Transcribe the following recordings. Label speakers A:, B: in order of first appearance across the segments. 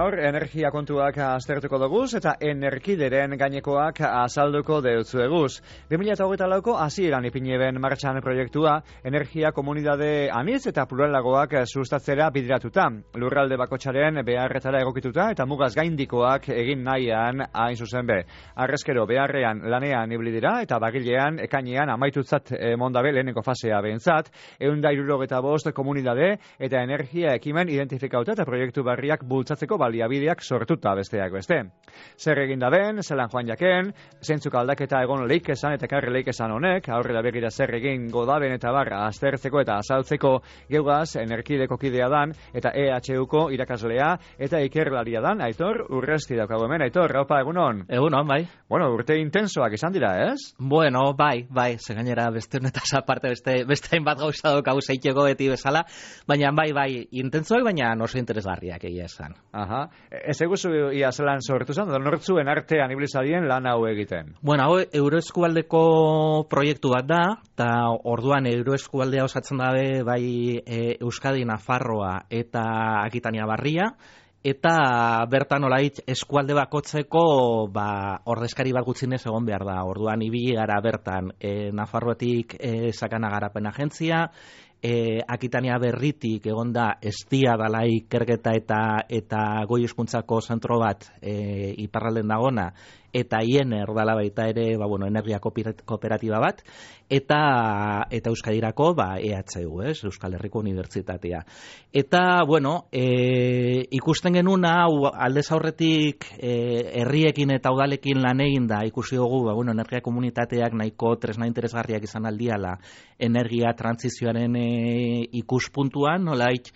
A: Gaur, energia kontuak aztertuko duguz eta energideren gainekoak azalduko deutzueguz. 2024ko hasieran ipineben martxan proiektua, energia komunidade anitz eta pluralagoak sustatzera bideratuta. Lurralde bakotsaren beharretara egokituta eta mugaz gaindikoak egin nahian hain zuzen be. Arrezkero beharrean lanean ibili dira eta bagilean ekainean amaitutzat mondabe leheneko fasea behintzat, 165 komunidade eta energia ekimen identifikauta eta proiektu barriak bultzatzeko baliabideak sortuta besteak beste. Zer egin da ben, zelan joan jaken, zeintzuk aldaketa egon leik esan eta karri leik esan honek, aurrera begira zer egin godaben eta barra aztertzeko eta azaltzeko geugaz energideko kidea dan eta EHUko irakaslea eta ikerlaria dan, Aitor Urresti daukago hemen. Aitor, raupa egunon?
B: Egunon, bai.
A: Bueno, urte intensoak izan dira, ez?
B: Bueno, bai, ze gainera beste honetaz aparte beste hainbat gauza daukagu zeiteko beti bezala, baina bai, intensoak, baina oso interesgarriak egia esan.
A: Aha. Ez eguzu ia zelan sortu zen, da nortzuen artean ibilizadien lan hau egiten?
B: Bueno, hau Euroeskualdeko proiektu bat da, eta orduan Euroeskualdea osatzen dabe bai Euskadi, Nafarroa eta Akitania Barria, eta bertan olait eskualde bakotzeko ordezkari bat gutxinez egon behar da. Orduan ibili gara bertan Nafarroatik Sakana Garapen Agentzia, Akitania Berritik egon da Estia dala ikerketa eta goi hezkuntzako zentro bat iparralden dagona, eta IENER dala baita ere energia kooperatiba bat, eta Euskadirako EHU, Euskal Herriko Unibertsitatea. Eta, ikusten genuen hau aldez aurretik herriekin eta udalekin lan egin da, ikusi dugu, energia komunitateak nahiko tresna interesgarriak izan aldiala energia trantsizioaren ikuspuntuan, nolait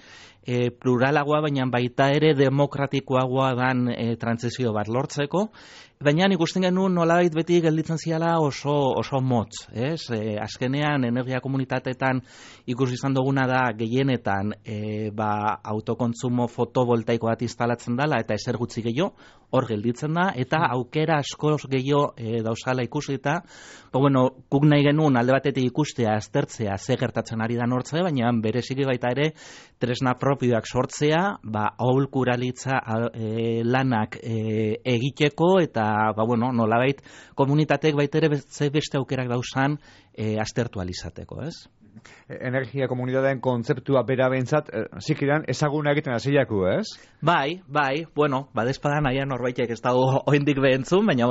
B: pluralagoa, baina baita ere demokratikoagoa dan trantsizio bat lortzeko. Baina ikusten genuen nolabait beti gelditzen ziala oso motz, ez? Azkenean energia komunitateetan ikusi izan duguna da gehienetan autokontsumo fotovoltaiko bat instalatzen dela eta ezer gutxi gehiago hor gelditzen da, eta aukera asko gehiago dauzala ikusita. Guk nahi genuen alde batetik ikustea, aztertzea, ze gertatzen ari da nortze, baina bereziki baita ere tresna propioak sortzea, aholkularitza lanak egiteko, eta nolabait komunitateek baita ere beste aukerak dauzan aztertu alizateko, ez?
A: Energia komunitateen kontzeptua bera behintzat, zikiran ezaguna egiten hasiaku, ez?
B: Bai, badezpadan nahian norbaitek ez dago oindik behentzun, baina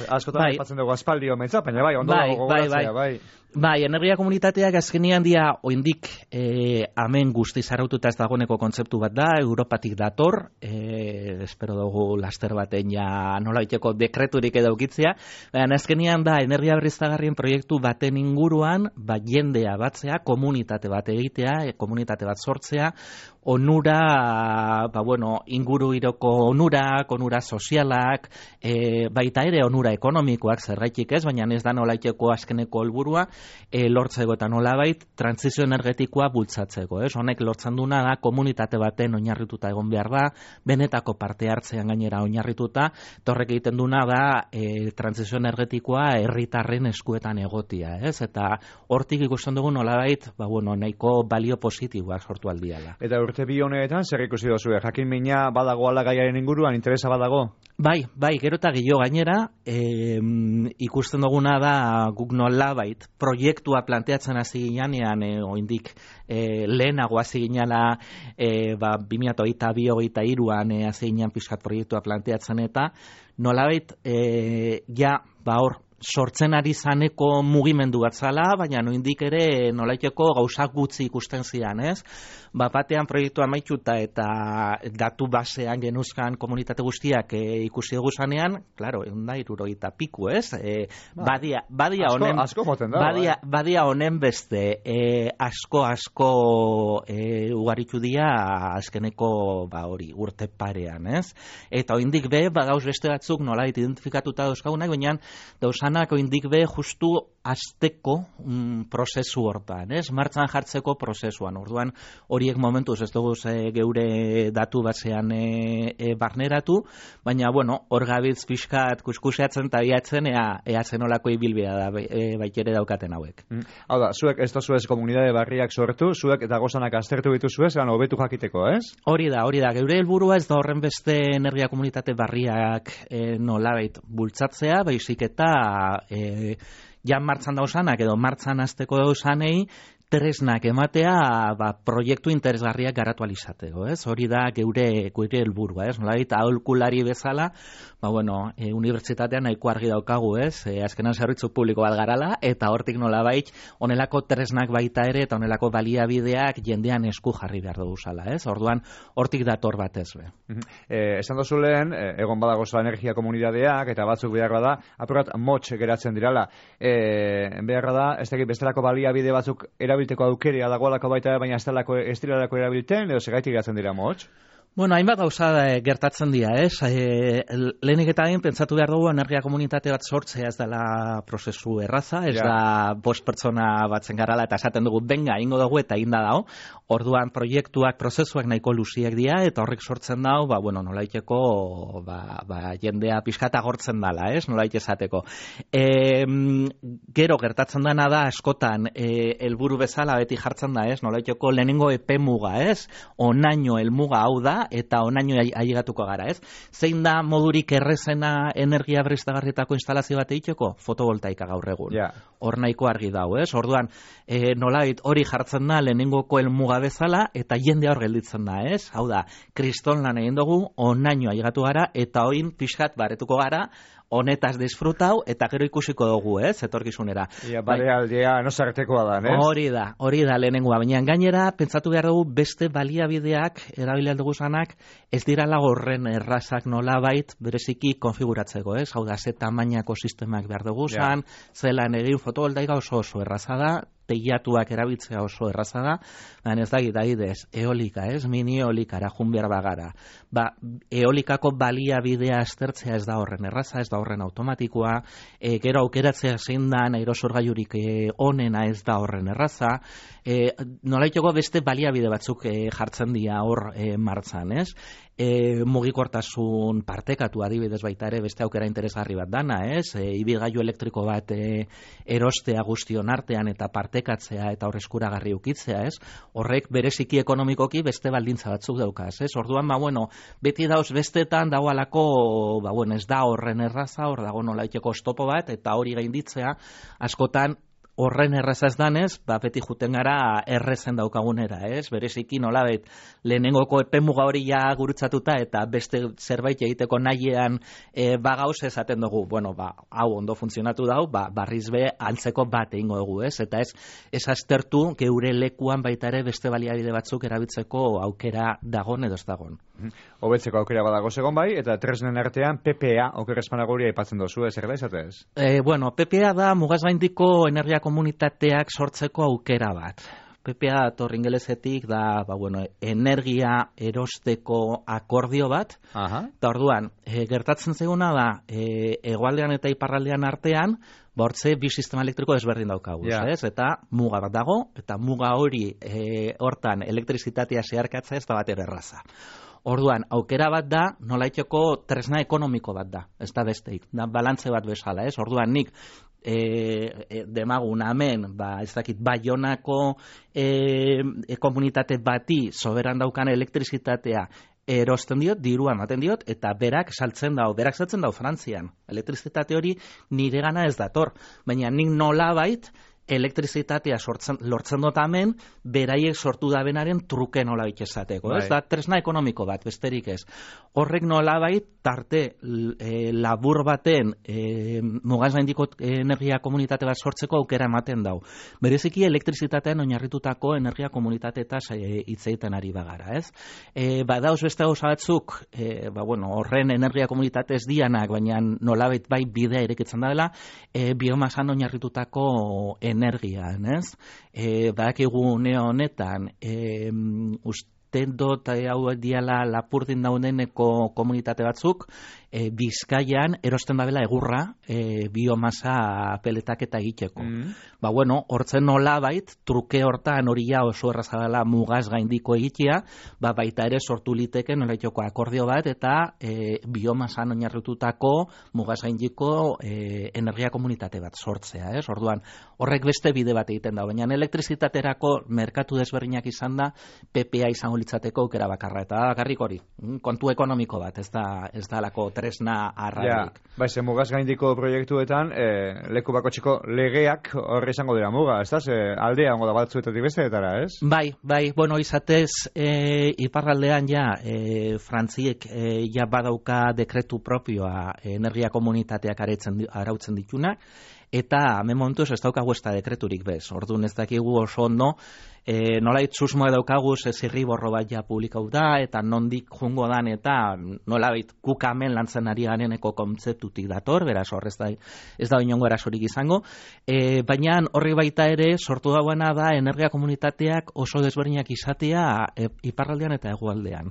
A: askotan aipatzen dugu aspaldi omentzat, baina ondo dago gogoratzea, bai.
B: Bai, energia komunitateak azkenean dia oindik hemen guztiz araututa ez dagoeneko kontzeptu bat da, Europatik dator, espero dugu laster baten ja nolaiteko dekreturik edo ukitzea, baina azkenean da energia berriztagarrien proiektu baten inguruan, jendea batzea, komunitate bat egitea, komunitate bat sortzea, onura, inguru iroko onura sozialak, baita ere onura ekonomikoak zergaitik ez, baina ez da nolaiteko azkeneko helburua, lortzeko eta nolabait trantsizio energetikoa bultzatzeko, ez? Honek lortzen duna da komunitate baten oinarrituta egon behar da, benetako parte hartzean gainera oinarrituta, horrek egiten duna da trantsizio energetikoa herritarren eskuetan egotia, ez? Eta hortik ikusten dugu nolabait, nahiko balio positiboak sortu aldiala.
A: Eta urte bi honetan zer ikusi duzue? Jakin mina badagoala gaiaren inguruan, interesa badago?
B: Bai, gero eta gehiago gainera, ikusten duguna da guk nolabait proiektua planteatzen hasi ginean, oindik lehenago hasi ginela 2022an hasi ginean pixkat proiektua planteatzen eta nolabait hor sortzen ari zaneko mugimendu bat zala, baina noindik ere nolaiteko gauzak gutxi ikusten zian, ez? Batean proiektua amaituta eta datu basean genuzkan komunitate guztiak ikusi dugu zanean, klaro, 160 piku, ez? Badia honen beste, asko ugaritu dira azkeneko urte parean, ez? Eta oindik be, badauz beste batzuk nolait identifikatuta dauzkagunak, baina dauzanak oindik be justu azteko prozesu hortan, martxan jartzeko prozesuan. Orduan, horiek momentuz ez dugu geure datu basean barneratu, baina, hor gabitz pixkat kuskuseatzen eta biatzen ea zenolako ibilbidea da baitere daukaten hauek.
A: Hau da, zuek ez tozuez komunidade barriak sortu, zuek eta gozanak aztertu dituzuez, hobetu jakiteko, ez?
B: Hori da, geure helburua ez da horren beste energia komunitate barriak nolabait bultzatzea, baizik eta jan martxan dausanak edo martxan hasteko dausanei tresnak ematea proiektu interesgarriak garatu alizateko, ez? Hori da geure helburua, ez? Nolabait aholkulari bezala, unibertsitatean nahiko argi daukagu, ez? Azkenan zerbitzu publiko bat garala, eta hortik nolabait honelako tresnak baita ere, eta honelako baliabideak jendean esku jarri behar dugu zala, ez? Orduan, hortik dator batez be.
A: Esan dozu lehen, egon badagoza energia komunidadeak, eta batzuk beharra da, apurat motx geratzen dirala. Beharra da, ez dakit bestelako baliabide batzuk erabilteko aukeria dagoelako baita, baina ez direlako erabilten, edo segaitik geratzen dira motx?
B: Hainbat gauza gertatzen dira, ez? Lehenik eta hain pentsatu behar dugu energia komunitate bat sortzea ez dela prozesu erraza, ez da 5 pertsona batzen garala eta esaten dugu benga ingo dugu eta inda dago. Orduan proiektuak, prozesuak nahiko luziek dira eta horrek sortzen dago, nolaiteko jendea pixkata gortzen dala, ez? Nolait esateko. Gero gertatzen dena da askotan helburu bezala beti jartzen da, ez? Nolaiteko lehenengo epemuga, ez? Onaino helmuga hau da eta onaino ailegatuko gara, ez? Zein da modurik errezena energia berriztagarrietako instalazio bat egiteko? Fotovoltaika gaur egun. Hor nahiko argi dago, ez? Orduan, nolait hori jartzen da lehenengoko helmuga bezala eta jende hor gelditzen da, ez? Hau da, kriston lan egin dugu, onaino ailegatu gara eta oin pixkat baretuko gara, honetaz disfrutau eta gero ikusiko dugu, ez? Etorkizunera.
A: Aldea nosartekoa da, ez?
B: Hori da lehenengoa, baina gainera pentsatu behar dugu beste baliabideak erabiltzen dugu zanak ez dirala horren errazak nolabait bereziki konfiguratzeko, ez? Hau da, ze tamainako sistemak behar dugu zan, zelan egin fotovoltaika oso erraza da, teilatuak erabiltzea oso erraza da, baina ez da gidaides, eolika, ez? Mini eolikara jun behar bagara. Eolikako baliabidea aztertzea ez da horren erraza, ez da horren automatikoa, gero aukeratzea zein da aerosorgailurik onena ez da horren erraza, nolaiteko beste baliabide batzuk jartzen dira hor martzan, ez? Mugikortasun partekatu adibidez baita ere beste aukera interesgarri bat dana, ez? Ibilgailu elektriko bat erostea guztion artean eta partekatzea eta hor eskuragarri ukitzea, ez? Horrek bereziki ekonomikoki beste baldintza batzuk daukaz, ez? Orduan, beti dauz bestetan dagoalako, ez da horren erraza, hor dago nolaiteko oztopo bat eta hori gainditzea askotan horren erraza ez danez, beti juten gara errezen daukagunera, ez? Bereziki nolabait lehenengoko epemuga hori ja gurutzatuta eta beste zerbait egiteko nahiean bagauz esaten dugu, hau ondo funtzionatu dau, barriz be antzeko bat egingo dugu, ez? Eta ez aztertu geure lekuan baita ere beste baliabide batzuk erabiltzeko aukera dagon edo ez dagon.
A: Hobetzeko aukera badago segon bai, eta tresnen artean PPA, okerrezpanagoria aipatzen dozu, zer da izatez?
B: PPA da mugazgaindiko energia komunitateak sortzeko aukera bat. PPA dator ingelesetik da, energia erosteko akordio bat, eta orduan, gertatzen zeguna da, hegoaldean eta iparraldean artean, hortze bi sistema elektriko desberdin daukagu, ez? Eta muga bat dago, eta muga hori hortan elektrizitatea zeharkatzea ez da bat erraza. Orduan, aukera bat da, nolaiteko tresna ekonomiko bat da, ez da besteik, da balantze bat bezala, ez? Orduan, nik demagun hemen, ez dakit, Baionako komunitate bati soberan daukan elektrizitatea erosten diot, dirua ematen diot, eta berak saltzen dau Frantzian. Elektrizitate hori nire gana ez dator, baina nik nolabait elektrizitatea lortzen dut hemen, beraiek sortu dabenaren truke nolabait esateko. Ez da tresna ekonomiko bat, besterik ez. Horrek nolabait tarte labur baten mugazgaindiko energia komunitate bat sortzeko aukera ematen dau. Bereziki elektrizitatean oinarritutako energia komunitateetaz hitz egiten ari bagara, ez? Badauz beste gauza batzuk, horren energia komunitate ez dianak, baina nolabait bai bidea irekitzen dela, biomasan oinarritutako energian, ez? Badakigu une honetan, usten dut hau diala Lapurdin daudeneko komunitate batzuk, Bizkaian erosten dabela egurra biomasa peletaketa egiteko. Ba bueno, hortzen nolabait truke hortan hori ja oso erraza dela mugaz gaindiko egitea, ba baita ere sortu liteke nolaiteko akordio bat eta biomasan oinarritutako mugaz gaindiko energia komunitate bat sortzea, ez? Orduan, horrek beste bide bat egiten da, baina elektrizitaterako merkatu desberdinak izan da PPA izango litzateko aukera bakarra eta bakarrik hori, kontu ekonomiko bat, ez da lako tresna arrailik.
A: Ja, bai, ze mugaz gaindiko proiektuetan leku bakoitzeko legeak horre izango dira muga, ez da? Aldea ongo da batzuetatik besteetara, ez?
B: Bai, bueno, izatez iparraldean ja Frantziek ja badauka dekretu propioa energia komunitateak arautzen ditunak, eta hemen momentuz ez daukagu ez da dekreturik bez. Orduan ez dakigu oso ondo, nolait susmoa daukagu zirriborro bat ja publikau da, eta nondik jungo dan, eta nolait kukamen lantzen ari gareneko kontzeptutik dator, beraz hor ez da inongo erasorik izango, baina horri baita ere sortu dauena da energia komunitateak oso desberdinak izatea iparraldean eta hegoaldean.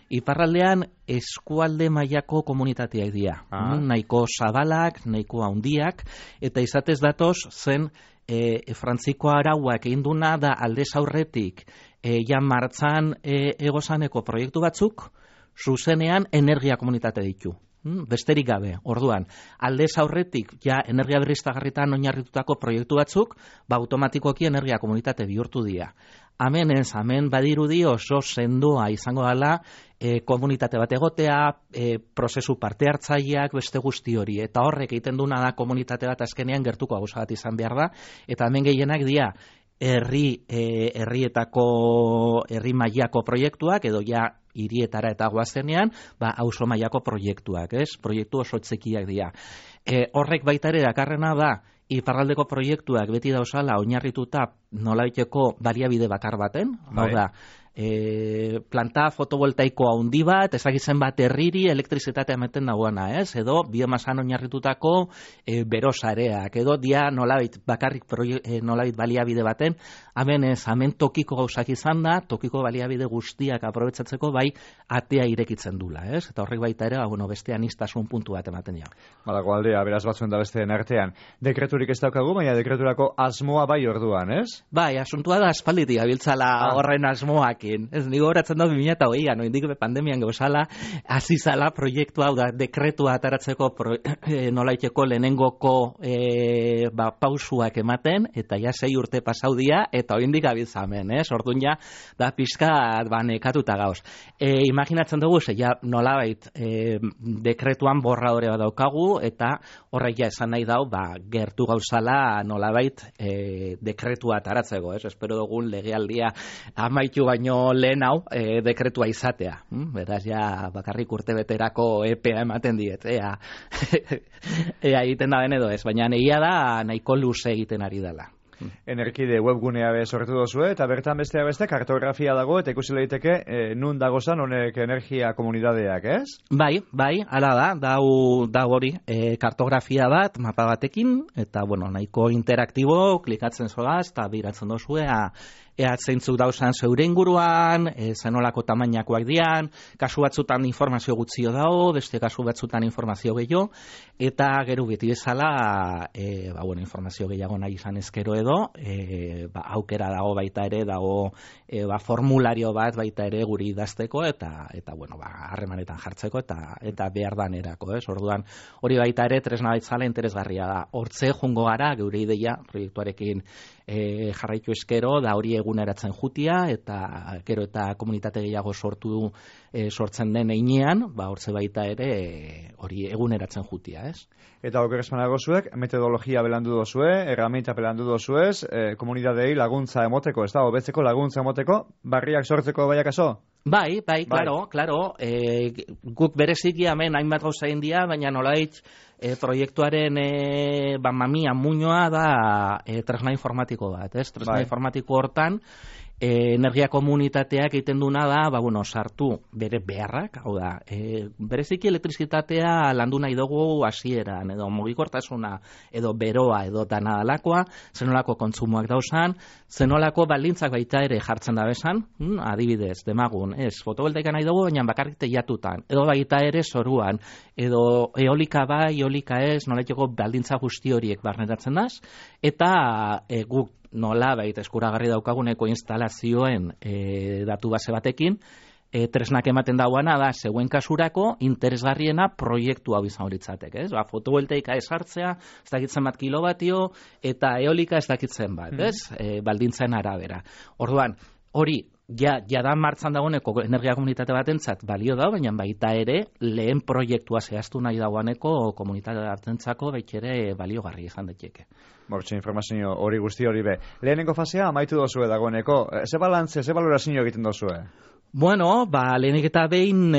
B: Iparraldean eskualde mailako komunitateak dira, nahiko zabalak, nahiko handiak, eta izatez datoz zen Frantziko arauak egin duna da aldez aurretik ja martzan egozaneko proiektu batzuk zuzenean energia komunitate ditu. Besterik gabe, orduan, aldez aurretik ja energia berriztagarritan oinarritutako proiektu batzuk, ba automatikoki energia komunitate bihurtu dira. Hemen badirudi oso sendoa izango dela komunitate bat egotea, prozesu parte hartzaileak beste guzti hori, eta horrek egiten duna da komunitate bat azkenean gertuko gauza bat izan behar da, eta hemen gehienak dira herri mailako proiektuak, edo ja hirietara eta goazenean, ba auzo mailako proiektuak, ez? Proiektu oso txikiak dira. Horrek baita ere dakarrena da, iparraldeko proiektuak beti dauzala oinarrituta nolabaiteko baliabide bakar baten, hau da, planta fotovoltaiko handi bat, ezagitzen bat herriri elektrizitatea emeten dagoena, ez? Edo biomasan oinarritutako berosareak, edo dia nolabait bakarrik nolabait baliabide baten, hemen tokiko gauzak izan da, tokiko baliabide guztiak aprobetsatzeko bai atea irekitzen dula, ez? Eta horrek baita ere, beste anistasun puntu bat ematen dira.
A: Badago aldea, beraz batzuen da besteen artean. Dekreturik ez daukagu, baina dekreturako asmoa bai orduan, ez?
B: Bai, asuntua da aspalditik abiltzala horren asmoakin. Ez, nigo horatzen da 2008an, noindik pandemian gauzala, hasi zala proiektua, hau da, dekretua ataratzeko nolaiteko lehenengoko pausuak ematen, eta ja 6 urte pasaudia, eta oindik abiltzamen, ez? Orduan ja, da pizkat nekatuta gauz. Imaginatzen dugu, ja nolabait dekretuan borradore bat daukagu, eta horrek ja esan nahi dau, gertu gauzala nolabait dekretua ataratzeko, ez? Espero dugun legealdia amaitu baino lehen hau dekretua izatea. Beraz, ja bakarrik urte beterako epea ematen diet. Ea egiten da den edo ez, baina egia da nahiko luze egiten ari dela.
A: Energide webgunea sortu dozue, eta bertan besteak beste kartografia dago, eta ikusi daiteke nun dagozan honek energia komunitateak, ez?
B: Bai, hala da hori kartografia bat, mapa batekin, eta nahiko interaktibo, klikatzen zoaz, eta biratzen dozue, ea zeintzuk dauzan zeure inguruan, zenolako tamainakoak dian, kasu batzutan informazio gutxio dago, beste kasu batzutan informazio gehiago, eta gero beti bezala, informazio gehiago nahi izan ezkero edo, aukera dago baita ere, dago formulario bat baita ere guri idazteko, eta harremanetan jartzeko, eta behar danerako, ez? Orduan, hori baita ere, tresna baitzala interesgarria da. Hortze jungo gara, geure ideia, proiektuarekin jarraitu eskero, da hori eguneratzen jutia, eta gero eta komunitate gehiago sortzen den einean, hortze baita ere hori eguneratzen jutia, ez?
A: Eta okeresmanago zuek, metodologia belandu dozue, erramenta belandu dozuez, komunitatei laguntza emoteko, ez da, hobetzeko laguntza emoteko, barriak sortzeko baiakaso?
B: Bai, claro, guk bereziki hemen hainbat gauza egin dira, baina nolait proiektuaren mamia muñoa da tresna informatiko bat, ez? Tresna informatiko hortan energia komunitateak egiten duna da, sartu bere beharrak, hau da, bereziki elektrizitatea landu nahi dugu hasieran, edo mugikortasuna, edo beroa, edo danadalakoa, zenolako kontsumoak dauzan, zenolako baldintzak baita ere jartzen da bezan, adibidez, demagun, fotovoltaika nahi dugu, baina bakarrik teiatutan, edo baita ere zoruan, edo eolika bai, eolika ez, nolaiteko baldintza guzti horiek barneratzen daz, eta guk nola baita eskuragarri daukaguneko instalazioen datu base batekin, tresnak ematen dauana da, zeuen kasurako, interesgarriena proiektu hau izan horitzatek, ez? Fotovoltaika esartzea, ez dakitzen bat kilobatio, eta eolika ez dakitzen bat, ez? Baldintzen arabera. Orduan, hori, ja da martzan dagoeneko energia komunitate batentzat balio da, baina baita ere lehen proiektua zehaztu nahi dagoeneko komunitate hartentzako ere baliogarri izan daiteke.
A: Bortxe informazio hori guzti hori be. Lehenengo fasea amaitu dozue dagoeneko. Ze balantze, ze balorazio egiten dozue?
B: Bueno, lehenik eta behin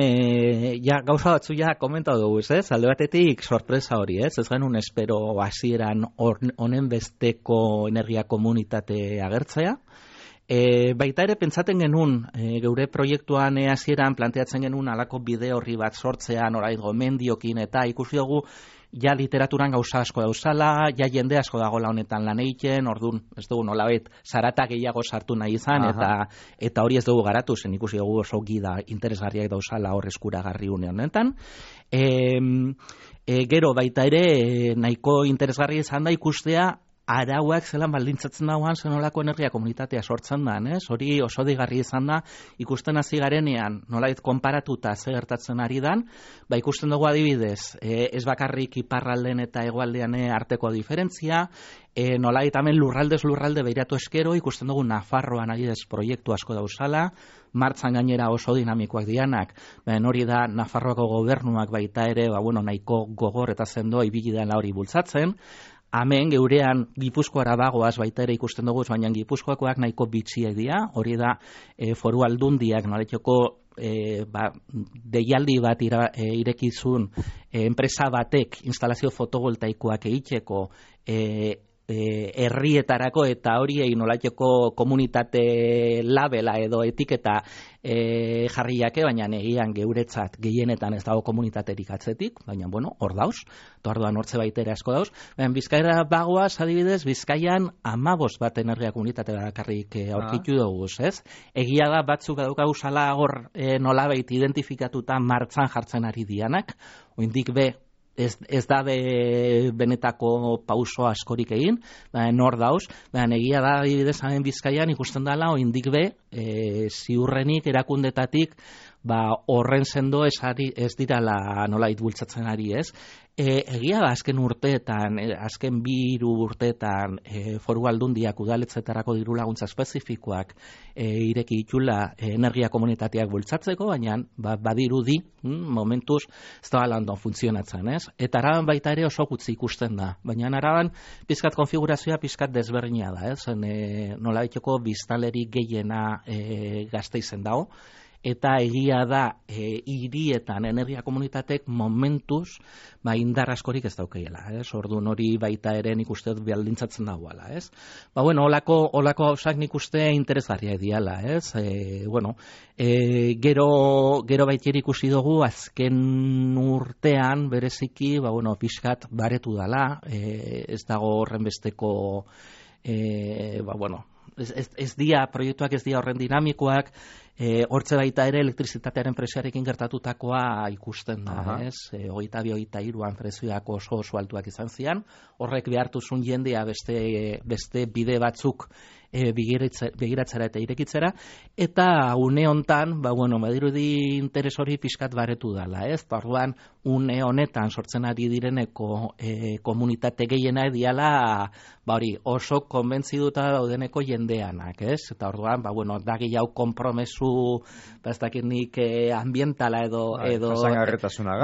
B: gauza batzu komentau dugu, ez? Alde batetik sorpresa hori, ez? Ez genuen espero hasieran honen besteko energia komunitate agertzea. Baita ere pentsaten genuen, geure proiektuan hasieran planteatzen genuen alako bide horri bat sortzea, norait gomendiokin, eta ikusi dugu ja literaturan gauza asko dauzala, ja jende asko dagoela honetan lan egiten, orduan, ez dugu nolabait zarata gehiago sartu nahi izan, eta hori ez dugu garatu, zen ikusi dugu oso gida interesgarriak dauzala hor eskuragarri honetan. Gero baita ere nahiko interesgarri izan da ikustea arauak zelan baldintzatzen dauan zenolako energia komunitatea sortzen da, ez? Hori oso digarri izan da, ikusten hasi garenean, nolait konparatuta ze gertatzen ari dan, ikusten dugu adibidez, ez bakarrik iparralden eta hegoaldean arteko diferentzia, nolait hemen lurralde behiratu eskero, ikusten dugu Nafarroan adibidez proiektu asko dauzala, martzan gainera oso dinamikoak dianak, hori da Nafarroako gobernuak baita ere, nahiko gogor eta sendo ibili dela hori bultzatzen. Hemen geurean Gipuzkoara bagoaz baita ere ikusten dugu, baina Gipuzkoakoak nahiko bitxiek dira, hori da foru aldundiak noletxoko deialdi bat irekizun enpresa batek instalazio fotovoltaikoak egiteko herrietarako eta horiei nolateko komunitate labela edo etiketa jarriake, baina egian geuretzat gehienetan ez dago komunitaterik atzetik, baina hor dauz, orduan hortze baitera asko dauz. Bizkaira bagoaz adibidez, Bizkaian 15 bat energia komunitate bakarrik aurkitu dugu, ez? Egia da batzuk daukaguzala hor nolabait identifikatuta martzan jartzen ari dianak, oindik ez da benetako pauso askorik egin, nor dauz, egia da adibidez hemen Bizkaian ikusten dela oindik ziurrenik erakundetatik horren sendo ez dirala nolait bultzatzen ari, ez? Egia da azken urteetan, azken 2 urteetan foru aldundiak udaletzetarako diru laguntza espezifikoak ireki ditula energia komunitateak bultzatzeko, baina badirudi momentuz ez da landon funtzionatzen, ez? Eta Araban baita ere oso gutxi ikusten da, baina Araban pizkat konfigurazioa pizkat desberdina da, ez? Nolabaiteko biztanleri gehiena Gasteizen dago, eta egia da hirietan energia komunitatek momentuz indar askorik ez daukeiela, ez? Orduan hori baita ere nik uste dut baldintzatzen dagoela, ez? Olako gauzak nik uste interesgarriak diala, ez? Gero baita ikusi dugu azken urtean bereziki, pixkat baretu dala, ez dago horren besteko ez dia, proiektuak ez dia horren dinamikoak, hortze baita ere elektrizitatearen prezioarekin gertatutakoa ikusten da, ez? 22-23an prezioak oso altuak izan zian, horrek behartuzun jendea beste bide batzuk begiratzera eta irekitzera, eta une hontan, badirudi interes hori pixkat baretu dela, ez? Orduan, une honetan sortzen ari direneko komunitate gehiena diala, hori oso konbentziduta daudeneko jendeanak, ez? Eta orduan, da gehiago konpromesu, ez dakit nik ambientala edo
A: jasangarretasuna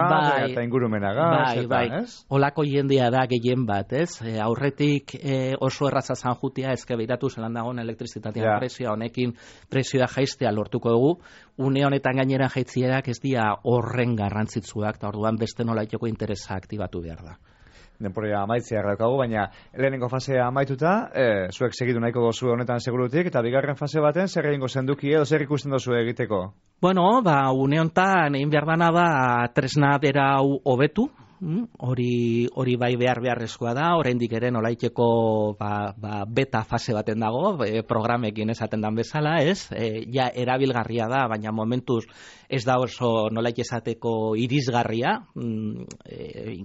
A: eta ingurumenagaz, ez?
B: Olako jendea da gehien bat, ez? Aurretik oso erraza zan jutia, ezke behiratu zelan dagoen elektrizitatean prezioa, honekin prezioa jaistea lortuko dugu, une honetan gainera jaitzierak ez dira horren garrantzitsuak, eta orduan beste nolaiteko interesa aktibatu behar da.
A: denporia amaitzea daukagu, baina lehenengo fasea amaituta, zuek segitu nahiko gozu honetan segurutik, eta bigarren fase baten zer egingo zenduki edo zer ikusten dozu egiteko?
B: Bueno, une hontan egin behar dana tresna bera hau hobetu, hori bai beharrezkoa da, oraindik ere nolaiteko beta fase baten dago, programekin esaten dan bezala, ez? Ja erabilgarria da, baina momentuz ez da oso nolait esateko irisgarria,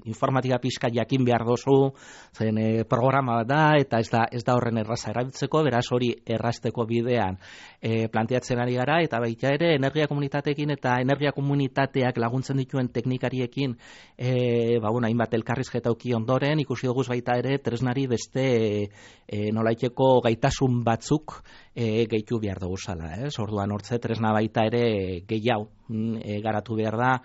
B: informatika pixka jakin behar dozu, zen programa bat da, eta ez da horren erraza erabiltzeko, beraz hori errazteko bidean planteatzen ari gara, eta baita ere energia komunitateekin eta energia komunitateak laguntzen dituen teknikariekin hainbat elkarrizketa uki ondoren, ikusi dugu baita ere tresnari beste nolaiteko gaitasun batzuk gehitu behar dugu zala. Orduan hortze tresna baita ere gehiago garatu behar da,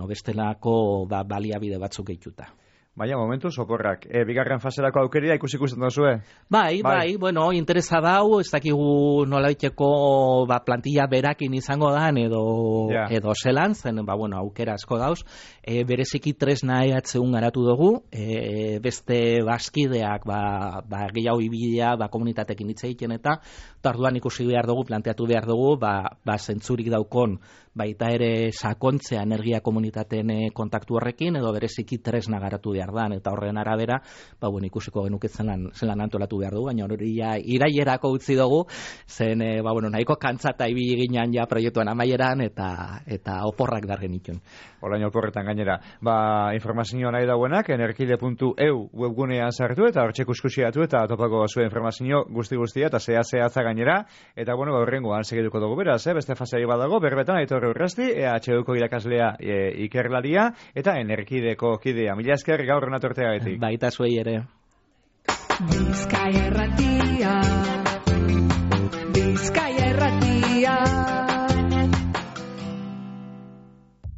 B: bestelako baliabide batzuk gehituta.
A: Baina, momentu, soporrak. Bigarren faserako aukeria ikusten dozue?
B: Bai, interesa dau, ez dakigu nolaiteko plantilla berakin izango dan edo zelan, zen, aukera asko dauz. Bereziki tresna EHUn garatu dugu, beste baskideak gehiago ibidea komunitatekin hitz egiten eta orduan ikusi behar dugu, planteatu behar dugu, zentzurik daukon baita ere sakontzea energia komunitateen kontaktu horrekin edo bereziki tresna garatu behar dan, eta horren arabera, ikusiko genuke zelan antolatu behar dugu, baina hori irailerako utzi dugu, zen, nahiko kantzata ibili ginean ja proiektuan amaieran, eta oporrak dar genituen.
A: Orain oporretan gainera. Informazio nahi dauenak, energide.eu webgunean sartu, eta hortxe kuskusiatu, eta topako zuen informazio guzti-guztia, eta zehatza gainera, eta horrengoan segituko dugu beraz, beste fasei badago, berbetan, Aitor Urrasti, EHUko irakaslea ikerlaria, eta Energideko kidea. Mila esker gaur renatorteagatik.
B: Baita zuei ere.
C: Bizkaia Erratia